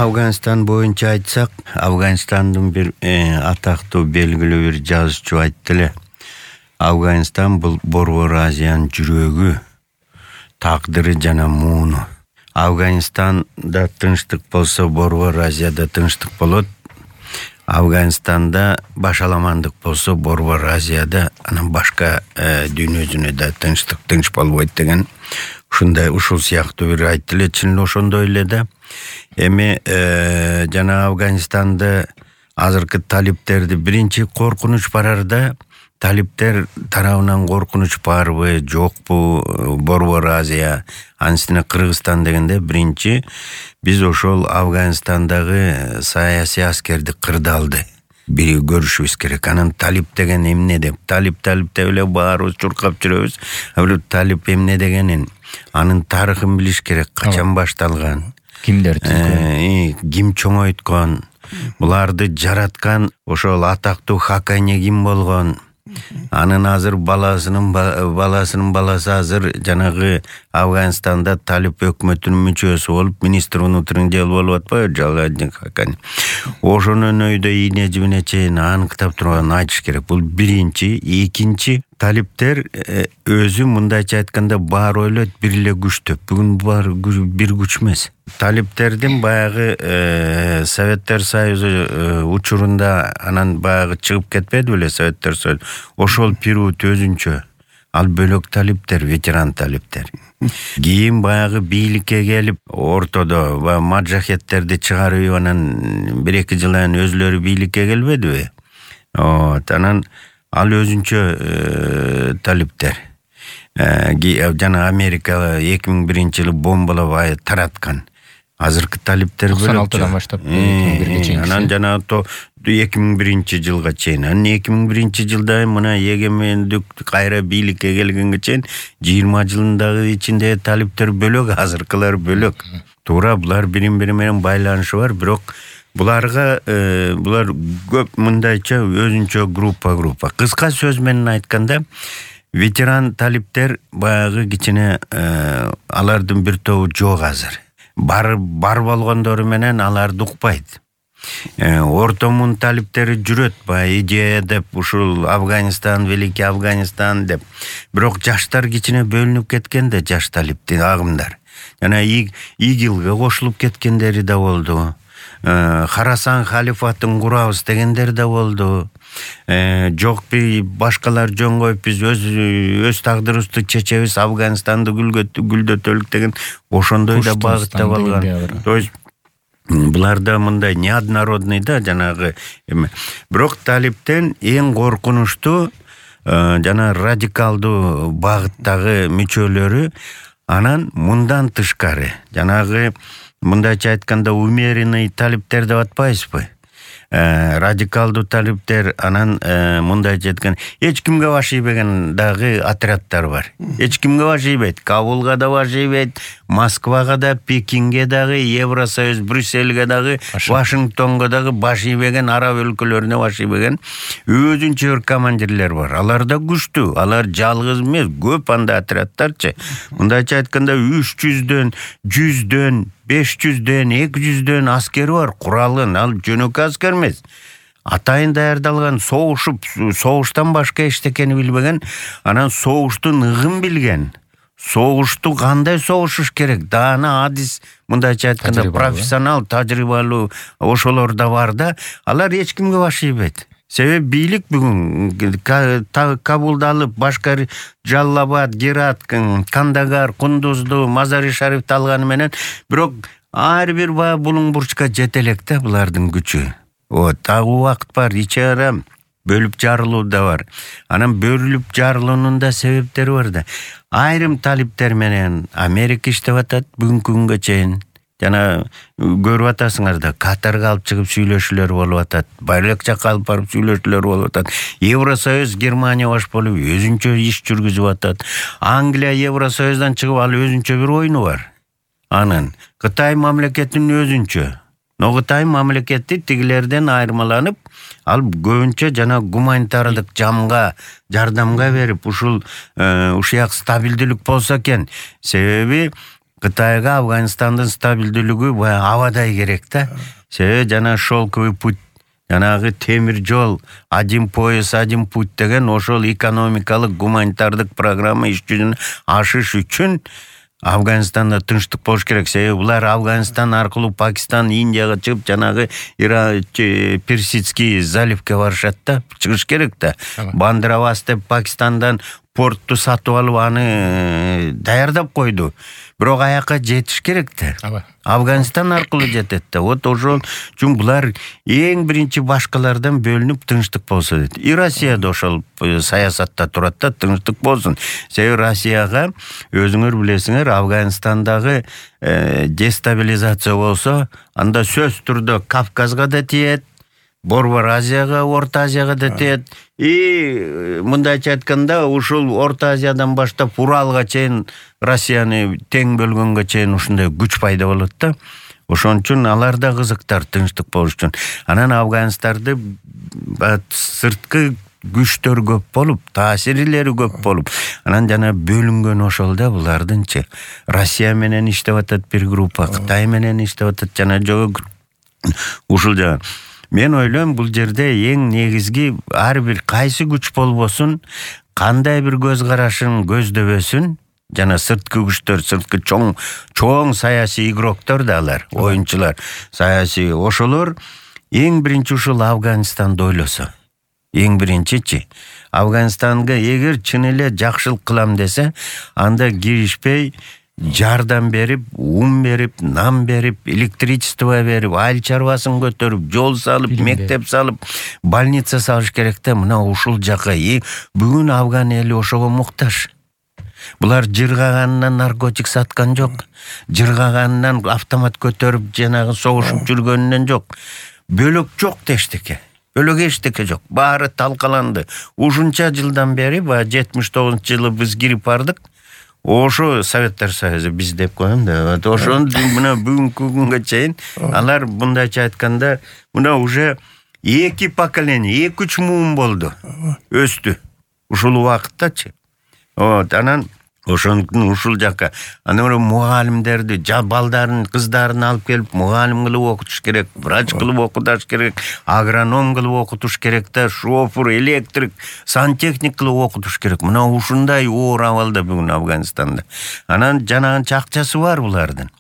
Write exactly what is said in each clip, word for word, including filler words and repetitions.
Афганистан боюнча айтсак, Афганистандын бир э, атактуу белгилүү бир жазуучу айтты эле. Афганистан бул Борбор Азиянын жүрөгү, тагдыры жана мууну. Афганистанда тынчтык болсо, Борбор Азияда тынчтык болот. Афганистанда башаламандык болсо, Борбор Азияда анан башка э, дүйнө жүзүндө тынчтык тынч болбойт деген ушундай ушул сыяктуу бир айтты эле. Чын эле ошондой эле да. Эми э, жана Афганистанда азыркы талиптерди биринчи коркунуч барарда, талиптер тарабынан коркунуч барбы, жокпу, Борбор Азия, анысына Кыргызстан дегенде биринчи биз ошол Афганистандагы саясий аскерди кырдалды. Бири көрүшүбүз керек. Анан талип деген эмне деп, талип талип деп эле баарыбыз чуркап жүрөбүз. А бирок талип эмне дегенин, анын тарыхын билиш керек, качан башталган. Кимдер түзгөн? Ким чоңойткон? Буларды жараткан ошол атактуу Хакани ким болгон? Анын азыр баласынын баласынын баласы азыр жанагы Афганистанда талип өкмөтүнүн мүчөсү болуп, министр внутренних дел болуп атпайбы, Жалалдин Хакани. Ошонун өйдө ийне жибине чейин аныктап турган айтыш керек. Бул биринчи. Экинчи, талиптер өзү мындайча айтканда баары ойлойт бир эле күчтөп. Бүгүн бар бир күч эмес. Талиптердин баягы э, Советтер Союзу э, учурунда анан баягы чыгып кетпеди беле Советтер Союзу. Ошол период өзүнчө. Ал бөлөк талиптер, ветеран талиптер. Кийин баягы бийликке келип, ортодо маджахеттерди чыгарып анан бир эки жылдан өзлөрү бийликке келбедиби? Вот, анан ал өзүнчө э, талиптер. Э, жана Америка эки миң биринчи жылы бомбалап тараткан. Азыркы талиптер бөлөк. токсон алтыдан баштап эки миң бирге чейин. Анан жана то эки миң биринчи жылга чейин. Анан эки миң биринчи жылда мына эгемендик кайра бийликке келгенге чейин жыйырма жылдагы ичинде талиптер бөлөк, азыркылар бөлөк. Туура, булар бири-бири менен байланышы бар, бирок буларга э, булар көп мындайча өзүнчө группа группа. Кыска сөз менен айтканда, ветеран талиптер баягы кичине э, алардын бир тобу жок азыр. Бар бар болгондору менен аларды укпайт. Э, ортомун талиптери жүрөт, баягы идея деп, ушул Афганистан, Великий Афганистан деп. Бирок жаштар кичине бөлүнүп кеткен да, жаш талиптин агымдар. Жана ИГИЛге кошулуп кеткендери да болду. Э, Харасан халифатын курабыз дегендер да болду. Э, жок бир башкалар жөн коюп биз өз өз тагдырыбызды чечебиз, Афганистанды гүлдөтөлүк деген ошондой да багытта болгон. То есть буларда мындай неоднородный да жанагы эме. Бирок талиптен эң коркунучтуу э, жана радикалдуу багыттагы мүчөлөрү анан мындан тышкары жанагы мындайча айтканда умеренный талиптер деп атпайсызбы? Э, радикалдуу талиптер анан э, мындайча айткан эч кимге баш ийбеген дагы отряддар бар. Эч кимге баш ийбейт. Кабулга да баш ийбейт, Москвага да, Пекинге дагы, Евросоюз, Брюссельге дагы, Вашингтонго дагы баш ийбеген, араб өлкөлөрүнө баш ийбеген өзүнчө бир командирлер бар. Алар да күчтүү. Алар жалгыз эмес, көп анда отряддарчы. Мындайча айтканда үч жүздөн, жүздөн, беш жүздөн, эки жүздөн аскери бар, куралын, ал жөнөкөй аскер эмес. Атайын даярдалган, согушуп, согуштан башка эчтекени билбеген, анан согуштун ыгын билген. Согушту кандай согушуш керек? Даана адис, мындайча айтканда профессионал, тажрыйбалуу ошолор да бар да, алар эч кимге баш ийбейт. Себеби бийлик бүгүн Кабулду алып, башка Жаллабад, Герат, Кандагар, Кундузду, Мазари Шарифти алганы менен, бирок ар бир баа булуң бурчка жете элек да булардын күчү. Вот, дагы убакыт бар, ичара бөлүп жарылуу да бар. Анан бөлүп жарылуунун да себептери бар да. Айрым талиптер менен Америка иштеп атат бүгүнкү күнгө чейин. Жана көрүп атасыңар да, Катарга алып чыгып сүйлөшүүлөр болуп атат. Байлык жакка алып барып сүйлөшүүлөр болуп атат. Евросоюз Германия баш болуп өзүнчө иш жүргүзүп атат. Англия Евросоюздан чыгып ал өзүнчө бир ойну бар. Анан Кытай мамлекетинин өзүнчө. Но Кытай мамлекети тигилерден айырмаланып, ал көбүнчө жана гуманитардык жамга, жардамга берип, ушул ушуяк стабилдүүлүк болсо экен. Себеби Кытайга Афганистандын стабилдүүлүгү баягы абадай керек да. Себеби жана шелковый путь, жанагы темир жол, один пояс, один путь деген ошол экономикалык, гуманитардык программа иш жүзүнө ашыш үчүн Афганистанда тынчтык болуш керек. Себеби булар Афганистан аркылуу Пакистан, Индияга чыгып, жанагы Персидский заливке барышат да, чыгыш керек да. Бандравас деп Пакистандан портту сатып алып аны даярдап койду. Бирок аякка жетиш керек да. Афганистан аркылуу жетет да. Вот ошол үчүн булар эң биринчи башкалардан бөлүнүп тынчтык болсо дейт. И Россия да ошол саясатта турат да, тынчтык болсун. Себеби Россияга өзүңөр билесиңер, Афганистандагы дестабилизация болсо, анда сөз түрдө Кавказга да тиет, Борбор Азияга, Орто Азияга да тиет. И мындайча айтканда, ушул Орто Азиядан баштап Уралга чейин Россияны тең бөлгөнгө чейин ушундай күч пайда болот да. Ошон үчүн алар да кызыктар тынчтык болуш үчүн. Анан Афганистарды сырткы күчтөр көп болуп, таасирлери көп болуп, анан жана бөлүнгөн ошол да булардынчы. Россия менен иштеп атат бир группа, Кытай менен иштеп атат, жана жогу ушул жагы. Мен ойлойм, бул жерде эң негизги ар бир кайсы күч болбосун, кандай бир көз карашын көздөбөсүн, жана сырткы күчтөр, сырткы чоң чоң саясий игроктор да алар, оюнчулар, саясий ошолор эң биринчи ушул Афганистанды ойлосо. Эң биринчичи Афганистанга эгер чын эле жакшылык кылам десе, анда киришпей жардам берип, ун берип, нан берип, электричество берип, айыл чарбасын көтөрүп, жол салып, мектеп салып, больница салыш керек да. Мына ушул жака бүгүн Афган эли ошого муктаж. Булар жыргаганынан наркотик саткан жок, жыргаганынан автомат көтөрүп жанагы согушуп жүргөнүнөн жок. Бөлөк жок дештике. Бөлөк эчтеке жок. Баары талкаланды. Ушунча жылдан бери, баягы жетимиш тогузунчу жылы биз кирип бардык. Ошо Советтер Союзу биз деп коем да. Ошон мына бүгүнкү күнгө чейин алар мындайча айтканда, мына уже эки поколение, эки үч муун болду. Өстү. Ушул убакыттачы. Вот, анан ошондуктан ушул жака анан мугалимдерди, балдарын, кыздарын алып келип мугалим кылып окутуш керек, врач кылып окутуш керек, агроном кылып окутуш керек да, шофер, электрик, сантехник кылып окутуш керек. Мына ушундай оор абалда бүгүн Афганистанда. Анан жанагынча акчасы бар булардын.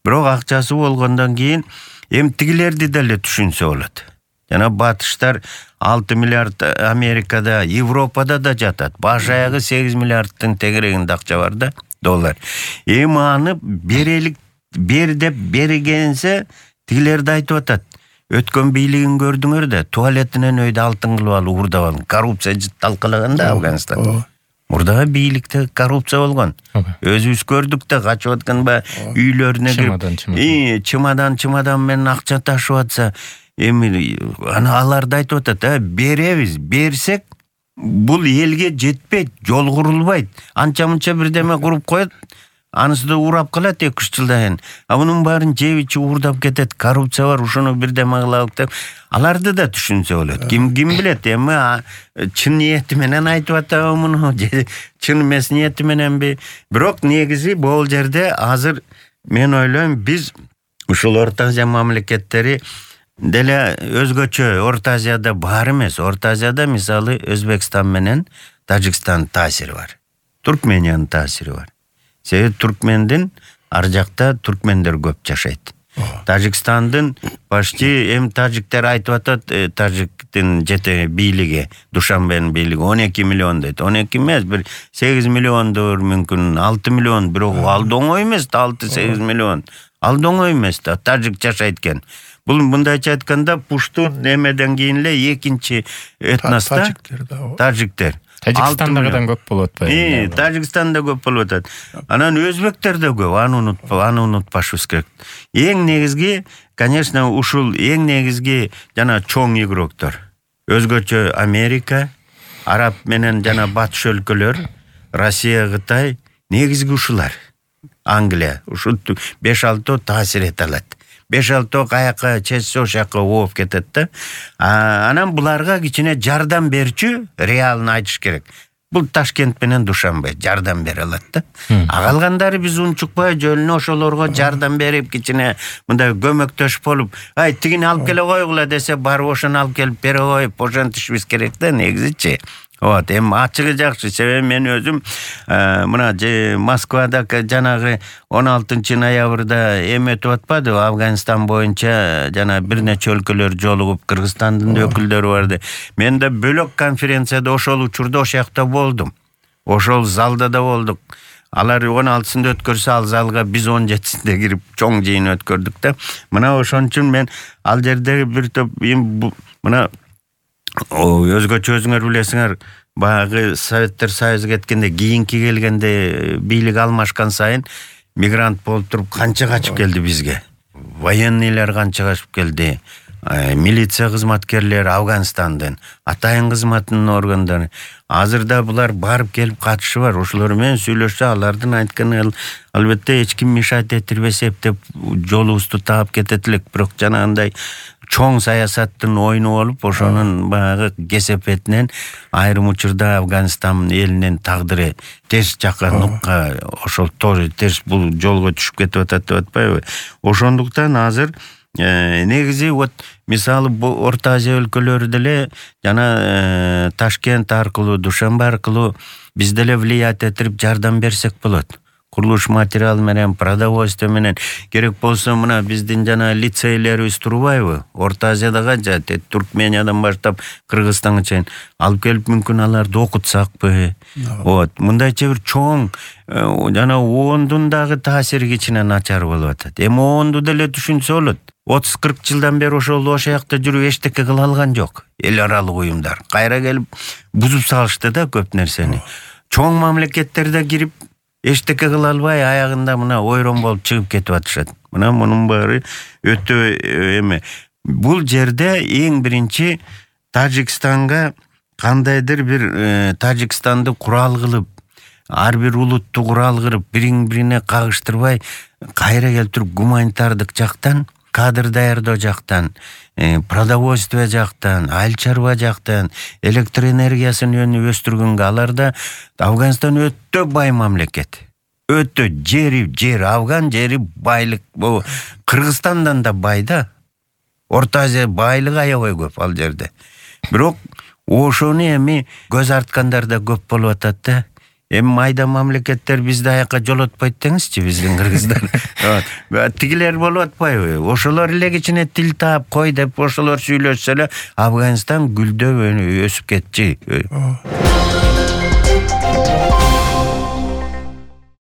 Бирок акчасы болгондон кийин эми тигилерди деле түшүнсө болот. Жана батыштар алты миллиард Америкада, Европада да жатат. Баш аягы сегиз миллиардтын тегерегинде акча бар да, доллар. Эми аны берелик, бер деп бергенсе, тигилерди айтып атат. Өткөн бийлигин көрдүңөр да, туалетинен өйдө алтын кылып алып уурдап алган. Коррупция талкалаган да Афганистан. Мурдагы бийликте коррупция болгон. Өзүбүз көрдүк да, качып аткан ба үйлөрүнө кирип, чемодан чемодан менен акча ташып атса, эми аны аларды айтып атат, беребиз, берсек бул элге жетпейт, жол курулбайт. Анча-мынча бирдеме куруп коет, анысы да урап калат эки үч жылдан кийин. А мунун баарын жебичи уурдап кетет, коррупция бар, ушуну бирдеме кылалык деп. Аларды да түшүнсө болот. Ким ким билет, эми чын ниети менен айтып атабы муну, чын эмес ниети мененби. Бирок негизи бул жерде азыр мен ойлойм, биз ушул Орто Азия мамлекеттери деле өзгөчө. Орто Азияда бар эмес. Орто Азияда мисалы Өзбекстан менен Тажикстан таасири бар. Туркмениянын таасири бар. Себеби туркмендин ар жакта туркмендер көп жашайт. Тажикстандын почти эми тажиктер айтып атат, тажиктин жете бийлиги, Душанбенин бийлиги он эки миллион дейт. он эки эмес, бир сегиз миллиондур, мүмкүн алты миллион, бирок ал да оңой эмес да, алты сегиз миллион. Ал да оңой эмес да, тажик жашайт экен. Бул мындайча айтканда пуштун немеден кийин эле экинчи этноста тажиктер. Тажикстандагыдан көп болот ба? Э, Тажикстанда көп болуп атат. Анан өзбектер да көп, аны унутпа, аны унутпашыбыз керек. Эң негизги, конечно, ушул эң негизги жана чоң игроктор. Өзгөчө Америка, Араб менен жана батыш өлкөлөр, Россия, Кытай, негизги ушулар. Англия, ушул беш алты таасир эте алат. беш алты каяка чечсе ошака ооп кетет да. Анан буларга кичине жардам берчү, реалын айтыш керек. Бул Ташкент менен Душанбе жардам бере алат да. А калгандары биз унчукпай жөлүнө ошолорго жардам берип кичине мындай көмөктөш болуп, ай тигини алып келе койгула десе, барып ошону алып келип бере коюп ошентишибиз керек да негизичи. Вот, эми ачыгы жакшы. Себеби мен өзүм мына Москвада жанагы он алтынчы ноябрда эме өтүп атпады, Афганистан боюнча жана бир нече өлкөлөр жолугуп, Кыргызстандын өкүлдөрү барды. Мен да бөлөк конференцияда ошол учурда ошол жакта болдум. Ошол залда да болдук. Алар он алтысында өткөрсө, ал залга биз он жетисинде кирип чоң жыйын өткөрдүк да. Мына ошон үчүн мен ал жердеги бир топ мына өзгөчө өзүңөр билесиңер, баягы Советтер Союзу кеткенде, кийинки келгенде бийлик алмашкан сайын мигрант болуп туруп канча качып келди бизге. Военныйлар канча качып келди. Милиция кызматкерлери Афганистандын, атайын кызматтын органдары. Азырда булар барып келип катышы бар. Ошолор менен сүйлөшсө, алардын айтканы албетте эч ким мешать этирбесе деп жолубузду таап кетет элек. Бирок жанагындай чоң саясаттын ойуну болуп, ошонун баягы кесепетинен айрым учурда Афганистан элинин тагдыры терс жакка нукка, ошол тоже терс бул жолго түшүп кетип атат деп атпайбы? Ошондуктан азыр негизи вот мисалы Орто Азия өлкөлөрү деле жана Ташкент аркылуу, Душанбе аркылуу биз деле влиять этирип жардам берсек болот. Курулуш материалы менен, продовольствие менен, керек болсо мына биздин жана лицейлерибиз турбайбы? Орто Азиядага жат, Туркмениядан баштап Кыргызстанга чейин алып келип мүмкүн аларды окутсакпы? Вот, мындайча бир чоң жана оондун дагы таасири кичине начар болуп атат. Эми оонду деле түшүнсө болот. отуз кырк жылдан бери ошол ошол жакта жүрүп эчтеке кыла алган жок. Эл аралык уюмдар кайра келип бузуп салышты да көп нерсени. Чоң мамлекеттерде кирип эчтеке кыла албай аягында мына ойрон болуп чыгып кетип атышат. Мына мунун баары өтө эме. Бул жерде эң биринчи Тажикстанга кандайдыр бир Тажикстанды курал кылып, ар бир улутту курал кылып, бириң-бирине кагыштырбай кайра келтирип гуманитардык жактан, кадр даярдоо жактан, продовольствие жактан, айыл чарба жактан, электр энергиясын өнү өстүргөнгө аларда Афганистан өтө бай мамлекет. Өтө жери, жер Афган жери байлык. Бу Кыргызстандан да бай да. Орто Азия байлык аябай көп ал жерде. Бирок ошону эми көз арткандар да көп болуп атат да. Эми майда мамлекеттер бизди аякка жолотпойт деңизчи, биздин кыргыздар. Тигилер болуп атпайбы? Ошолор эле кичине тил таап кой деп ошолор сүйлөшсө эле Афганистан гүлдөп өсүп кетчи.